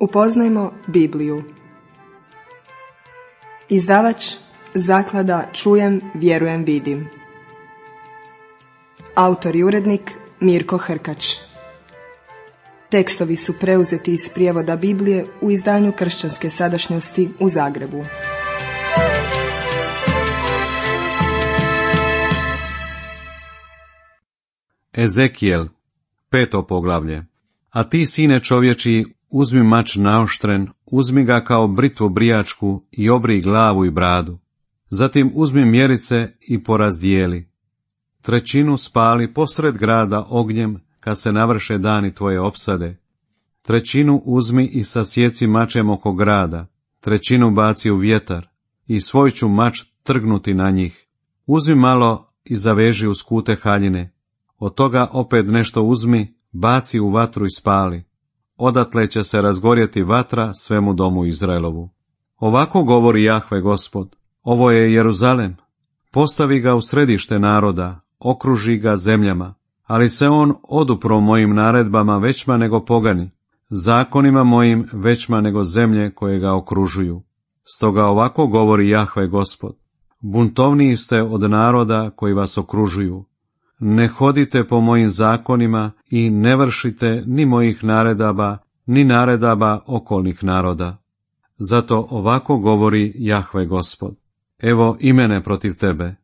Upoznajmo Bibliju. Izdavač Zaklada Čujem, vjerujem, vidim. Autor i urednik Mirko Hrkač. Tekstovi su preuzeti iz prijevoda Biblije u izdanju Kršćanske sadašnjosti u Zagrebu. Ezekijel, 5. poglavlje. A ti, sine čovječi, uzmi mač naoštren, uzmi ga kao britvu brijačku i obrij glavu i bradu. Zatim uzmi mjerice i porazdijeli. 1/3 spali posred grada ognjem, kad se navrše dani tvoje opsade. 1/3 uzmi i sasjeci mačem oko grada, 1/3 baci u vjetar i svoj ću mač trgnuti na njih. Uzmi malo i zaveži uz kute haljine. Od toga opet nešto uzmi, baci u vatru i spali. Odatle će se razgorjeti vatra svemu domu Izraelovu. Ovako govori Jahve Gospod, ovo je Jeruzalem. Postavi ga u središte naroda, okruži ga zemljama, ali se on odupro mojim naredbama većma nego pogani, zakonima mojim većma nego zemlje koje ga okružuju. Stoga ovako govori Jahve Gospod, buntovniji ste od naroda koji vas okružuju. Ne hodite po mojim zakonima i ne vršite ni mojih naredaba, ni naredaba okolnih naroda. Zato ovako govori Jahve Gospod, evo i mene protiv tebe.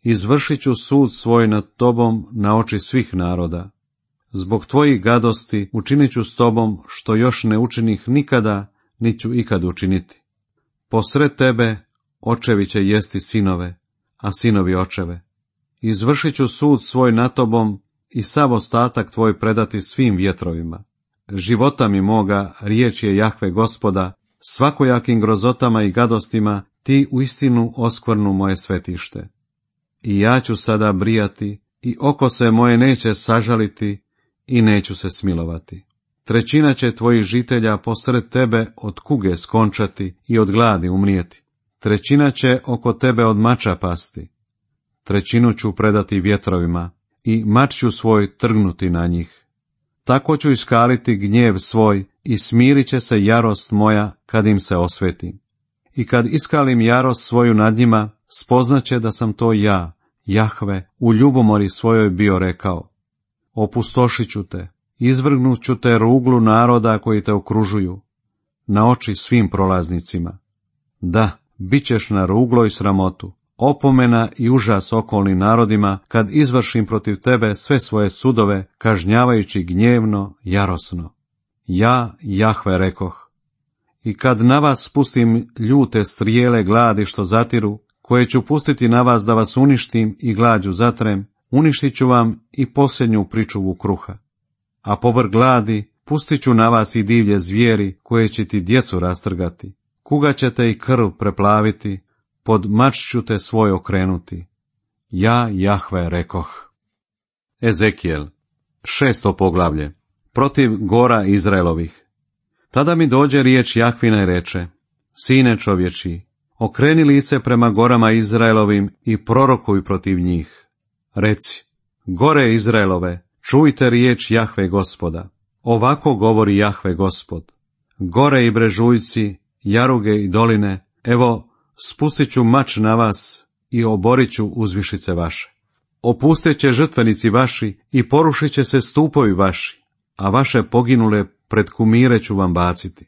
Izvršit ću sud svoj nad tobom na oči svih naroda. Zbog tvojih gadosti učinit ću s tobom što još ne učinih nikada, niti ću ikad učiniti. Posred tebe očevi će jesti sinove, a sinovi očeve. Izvršit ću sud svoj nad tobom i sav ostatak tvoj predati svim vjetrovima. Života mi moga, riječ je Jahve Gospoda, svakojakim grozotama i gadostima ti uistinu oskvrnu moje svetište. I ja ću sada brijati, i oko se moje neće sažaliti, i neću se smilovati. 1/3 će tvojih žitelja posred tebe od kuge skončati i od gladi umrijeti. 1/3 će oko tebe od mača pasti. 1/3 ću predati vjetrovima, i mač ću svoj trgnuti na njih. Tako ću iskaliti gnjev svoj, i smirit će se jarost moja kad im se osvetim. I kad iskalim jarost svoju nad njima, spoznaće da sam to ja, Jahve, u ljubomori svojoj bio rekao. Opustošit ću te, izvrgnut ću te ruglu naroda koji te okružuju, na oči svim prolaznicima. Da, bit ćeš na ruglo i sramotu, opomena i užas okolnim narodima, kad izvršim protiv tebe sve svoje sudove, kažnjavajući gnjevno, jarosno. Ja, Jahve, rekoh. I kad na vas spustim ljute strijele gladi što zatiru, koje ću pustiti na vas da vas uništim i glađu zatrem, uništit ću vam i posljednju pričuvu kruha. A povrh gladi pustit ću na vas i divlje zvijeri koje će ti djecu rastrgati. Kuga ćete i krv preplaviti, pod mač ću te svoj okrenuti. Ja, Jahve, rekoh. Ezekijel, 6. poglavlje. Protiv gora Izraelovih. Tada mi dođe riječ Jahvina i reče, sine čovječi, okreni lice prema gorama Izraelovim i prorokuj protiv njih. Reci, gore Izraelove, čujte riječ Jahve Gospoda. Ovako govori Jahve Gospod. Gore i brežuljci, jaruge i doline, evo, spustit ću mač na vas i oborit ću uzvišice vaše. Opustit će žrtvenici vaši i porušit će se stupovi vaši, a vaše poginule pred kumire ću vam baciti.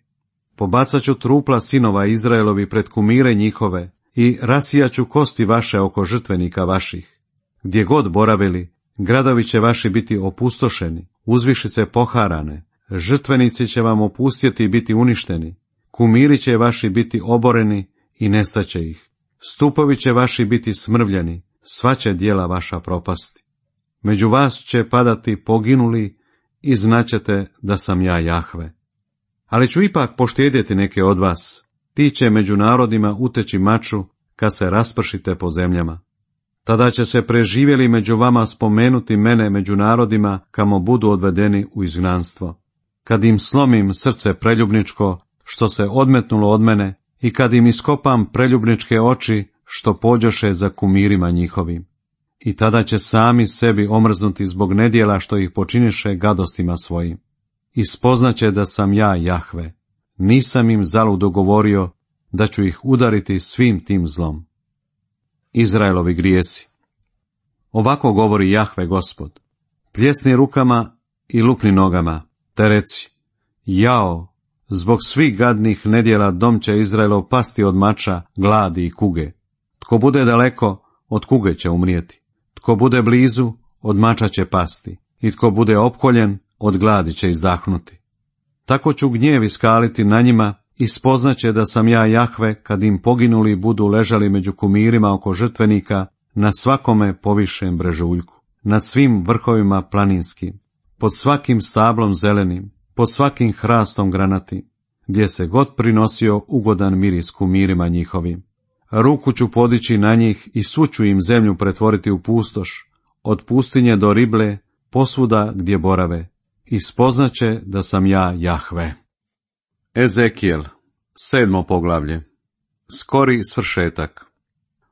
Pobacat ću trupla sinova Izraelovi pred kumire njihove i rasijat ću kosti vaše oko žrtvenika vaših. Gdje god boravili, gradovi će vaši biti opustošeni, uzvišice poharane, žrtvenici će vam opustjeti i biti uništeni, kumiri će vaši biti oboreni i nestaće ih. Stupovi će vaši biti smrvljeni, sva će djela vaša propasti. Među vas će padati poginuli i znaćete da sam ja Jahve. Ali ću ipak poštedjeti neke od vas, ti će među narodima uteći maču kad se raspršite po zemljama. Tada će se preživjeli među vama spomenuti mene među narodima kamo budu odvedeni u izgnanstvo. Kad im slomim srce preljubničko što se odmetnulo od mene i kad im iskopam preljubničke oči što pođoše za kumirima njihovim. I tada će sami sebi omrznuti zbog nedjela što ih počiniše gadostima svojim. I spoznaće da sam ja Jahve. nisam im zaludo govorio da ću ih udariti svim tim zlom. Izraelovi grijesi. Ovako govori Jahve Gospod: pljesni rukama i lupni nogama, te reci: jao, zbog svih gadnih nedjela dom će Izraelov pasti od mača, gladi i kuge. Tko bude daleko, od kuge će umrijeti. Tko bude blizu, od mača će pasti. I tko bude opkoljen, od gladi će izdahnuti. Tako ću gnjev iskaliti na njima i spoznaće da sam ja Jahve, kad im poginuli budu ležali među kumirima oko žrtvenika, na svakome povišem brežuljku, nad svim vrhovima planinskim, pod svakim stablom zelenim, pod svakim hrastom granatim, gdje se god prinosio ugodan miris kumirima njihovim. Ruku ću podići na njih i svu ću im zemlju pretvoriti u pustoš, od pustinje do Rible, posvuda gdje borave, i spoznaće da sam ja Jahve. Ezekijel, 7. poglavlje. Skori svršetak.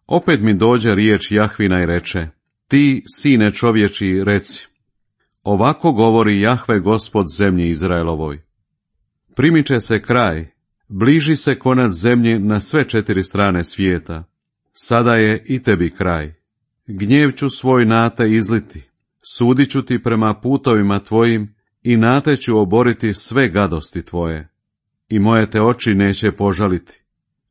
Opet mi dođe riječ Jahvina i reče: ti, sine čovječi, reci: ovako govori Jahve Gospod zemlji Izraelovoj. Primiče se kraj, bliži se konac zemlji na sve 4 strane svijeta. Sada je i tebi kraj. Gnjev ću svoj na te izliti, sudit ću ti prema putovima tvojim i na te ću oboriti sve gadosti tvoje. I moje te oči neće požaliti.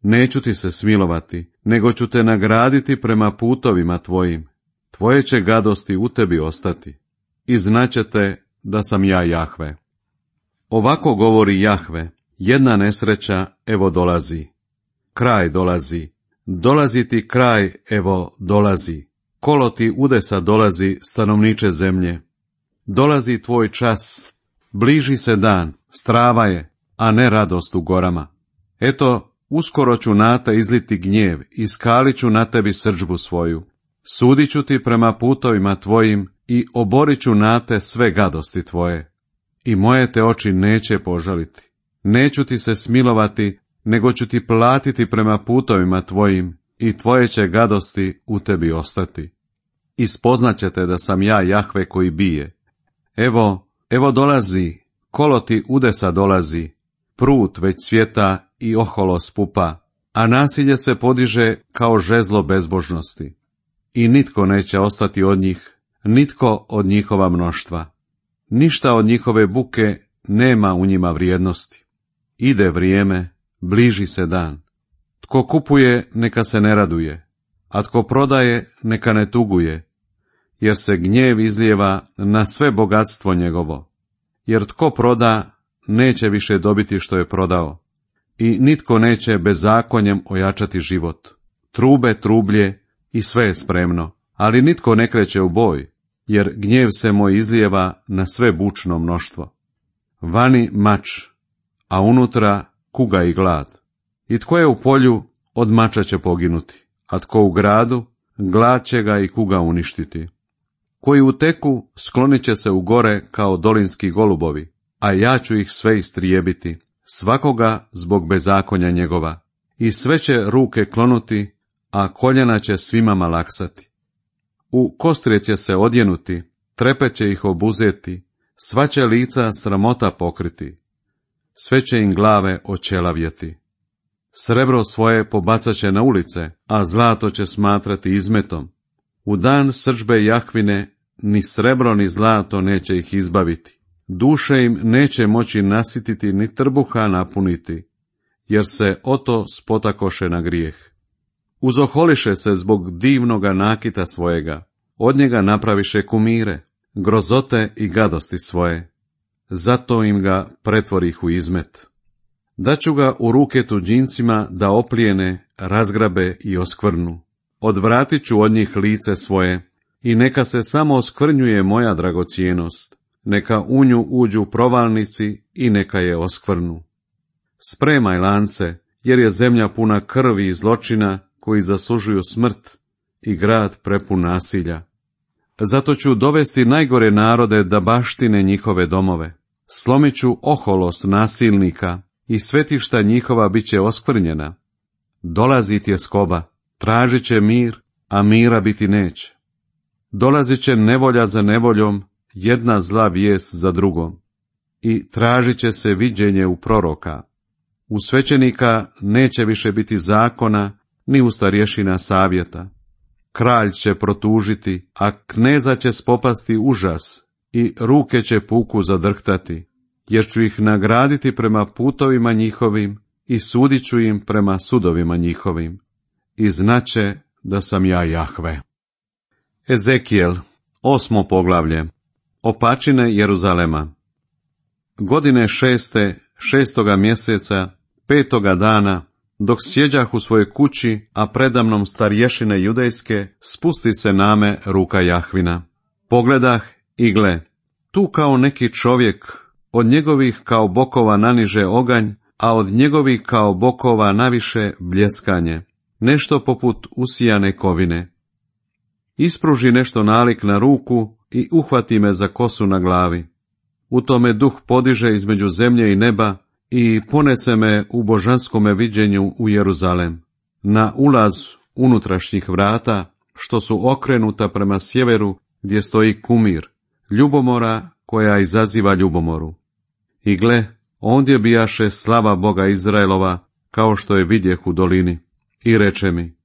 Neću ti se smilovati, nego ću te nagraditi prema putovima tvojim. Tvoje će gadosti u tebi ostati. I znaćete da sam ja Jahve. Ovako govori Jahve: jedna nesreća, evo dolazi. Kraj dolazi. Dolazi ti kraj, evo dolazi. Kolo ti udesa dolazi, stanovniče zemlje. Dolazi tvoj čas. Bliži se dan, strava je, a ne radost u gorama. Eto, uskoro ću na te izliti gnjev i skalit ću na tebi srdžbu svoju. Sudit ću ti prema putovima tvojim i oborit ću na te sve gadosti tvoje. I moje te oči neće požaliti. Neću ti se smilovati, nego ću ti platiti prema putovima tvojim i tvoje će gadosti u tebi ostati. I spoznaćete da sam ja Jahve koji bije. Evo dolazi, kolo ti udesa dolazi, prut već cvjeta i oholo spupa, a nasilje se podiže kao žezlo bezbožnosti. I nitko neće ostati od njih, nitko od njihova mnoštva. Ništa od njihove buke nema u njima vrijednosti. Ide vrijeme, bliži se dan. Tko kupuje, neka se ne raduje, a tko prodaje, neka ne tuguje, jer se gnjev izlijeva na sve bogatstvo njegovo. Jer tko proda, neće više dobiti što je prodao, i nitko neće bezakonjem ojačati život. Trube trublje i sve je spremno, ali nitko ne kreće u boj, jer gnjev se moj izlijeva na sve bučno mnoštvo. Vani mač, a unutra kuga i glad. I tko je u polju, od mača će poginuti, a tko u gradu, glad će ga i kuga uništiti. Koji uteku, sklonit će se u gore kao dolinski golubovi, a ja ću ih sve istrijebiti, svakoga zbog bezakonja njegova. I sve će ruke klonuti, a koljena će svima malaksati. U kostrije će se odjenuti, trepet će ih obuzeti, sva će lica sramota pokriti, sve će im glave očelavjeti. Srebro svoje pobacat će na ulice, a zlato će smatrati izmetom. U dan srdžbe Jahvine ni srebro ni zlato neće ih izbaviti. Duše im neće moći nasititi ni trbuha napuniti, jer se oto spotakoše na grijeh. Uzoholiše se zbog divnoga nakita svojega, od njega napraviše kumire, grozote i gadosti svoje. Zato im ga pretvorih u izmet. Daću ga u ruke tuđincima da oplijene, razgrabe i oskvrnu. Odvratit ću od njih lice svoje i neka se samo oskvrnjuje moja dragocjenost. Neka u nju uđu provalnici i neka je oskvrnu. Spremaj lance, jer je zemlja puna krvi i zločina koji zaslužuju smrt i grad prepun nasilja. Zato ću dovesti najgore narode da baštine njihove domove. Slomit ću oholost nasilnika i svetišta njihova bit će oskvrnjena. Dolazi tjeskoba, tražit će mir, a mira biti neće. Dolazit će nevolja za nevoljom, jedna zla vijest za drugom. I tražit će se viđenje u proroka. U svećenika neće više biti zakona, ni u starješina savjeta. Kralj će protužiti, a kneza će spopasti užas i ruke će puku zadrhtati, jer ću ih nagraditi prema putovima njihovim i sudit ću im prema sudovima njihovim. I znaće da sam ja Jahve. Ezekijel, 8. poglavlje. Opačine Jeruzalema. Godine 6. 6. mjeseca, 5. dana, dok sjeđah u svojoj kući, a predamnom starješine judejske, spusti se name ruka Jahvina. Pogledah i gle, tu kao neki čovjek, od njegovih kao bokova naniže oganj, a od njegovih kao bokova naviše bljeskanje, nešto poput usijane kovine. Ispruži nešto nalik na ruku i uhvati me za kosu na glavi. U tome duh podiže između zemlje i neba i ponese me u božanskome viđenju u Jeruzalem, na ulaz unutrašnjih vrata, što su okrenuta prema sjeveru, gdje stoji kumir, ljubomora koja izaziva ljubomoru. I gle, ondje bijaše slava Boga Izraelova, kao što je vidjeh u dolini. I reče mi,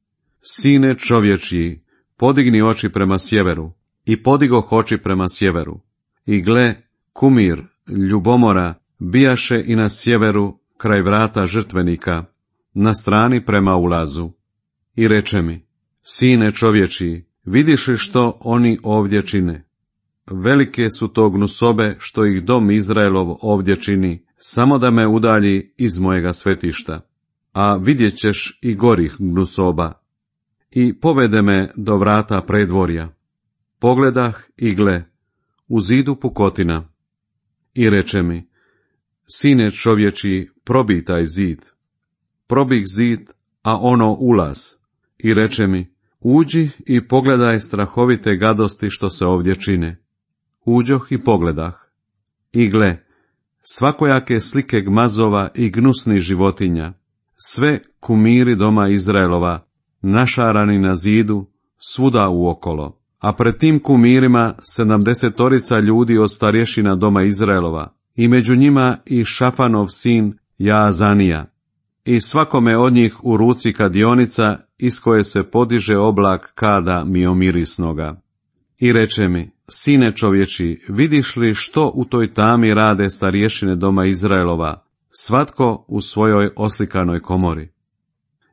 sine čovječji, podigni oči prema sjeveru. I podigoh oči prema sjeveru. I gle, kumir, ljubomora, bijaše i na sjeveru, kraj vrata žrtvenika, na strani prema ulazu. I reče mi, sine čovječji, vidiš li što oni ovdje čine? Velike su to gnusobe što ih dom Izraelov ovdje čini, samo da me udalji iz mojega svetišta. A vidjet ćeš i gorih gnusoba. I povede me do vrata predvorja. Pogledah i gle, u zidu pukotina. I reče mi, sine čovječji, probij taj zid. Probih zid, a ono ulaz. I reče mi, uđi i pogledaj strahovite gadosti što se ovdje čine. Uđoh i pogledah. I gle, svakojake slike gmazova i gnusnih životinja, sve kumiri doma Izraelova, našarani na zidu, svuda uokolo. A pred tim kumirima 70 ljudi od starješina doma Izraelova, i među njima i Šafanov sin Jaazanija. I svakome od njih u ruci kadionica, iz koje se podiže oblak kada miomirisnoga. I reče mi, sine čovječi, vidiš li što u toj tami rade starješine doma Izraelova, svatko u svojoj oslikanoj komori?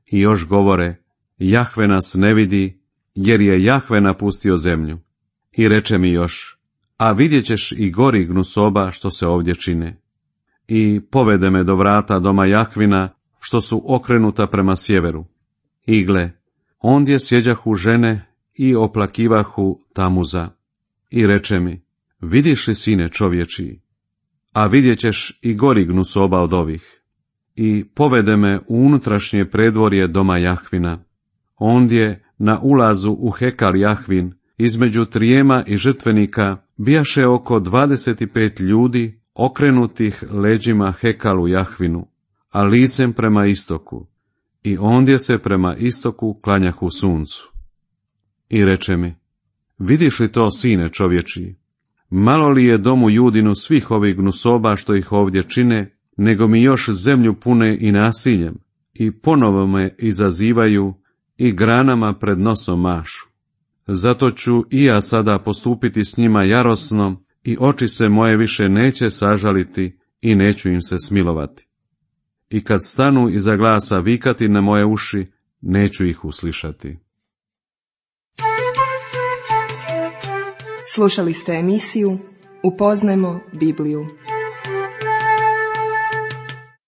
I još govore, Jahve nas ne vidi, jer je Jahve napustio zemlju. I reče mi još, a vidjet ćeš i gori gnusoba što se ovdje čine. I povede me do vrata doma Jahvina, što su okrenuta prema sjeveru. I gle, ondje sjeđahu žene i oplakivahu Tamuza. I reče mi, vidiš li sine čovječiji? A vidjet ćeš i gori gnusoba od ovih. I povede me u unutrašnje predvorje doma Jahvina. Ondje, na ulazu u hekal Jahvin, između trijema i žrtvenika, bijaše oko 25 ljudi okrenutih leđima hekalu Jahvinu, a licem prema istoku, i ondje se prema istoku klanjahu suncu. I reče mi, vidiš li to, sine čovječiji? Malo li je domu Judinu svih ovih gnusoba što ih ovdje čine, nego mi još zemlju pune i nasiljem, i ponovo me izazivaju i granama pred nosom mašu. Zato ću i ja sada postupiti s njima jarosno, i oči se moje više neće sažaliti i neću im se smilovati. I kad stanu iza glasa vikati na moje uši, neću ih uslišati. Slušali ste emisiju Upoznajmo Bibliju.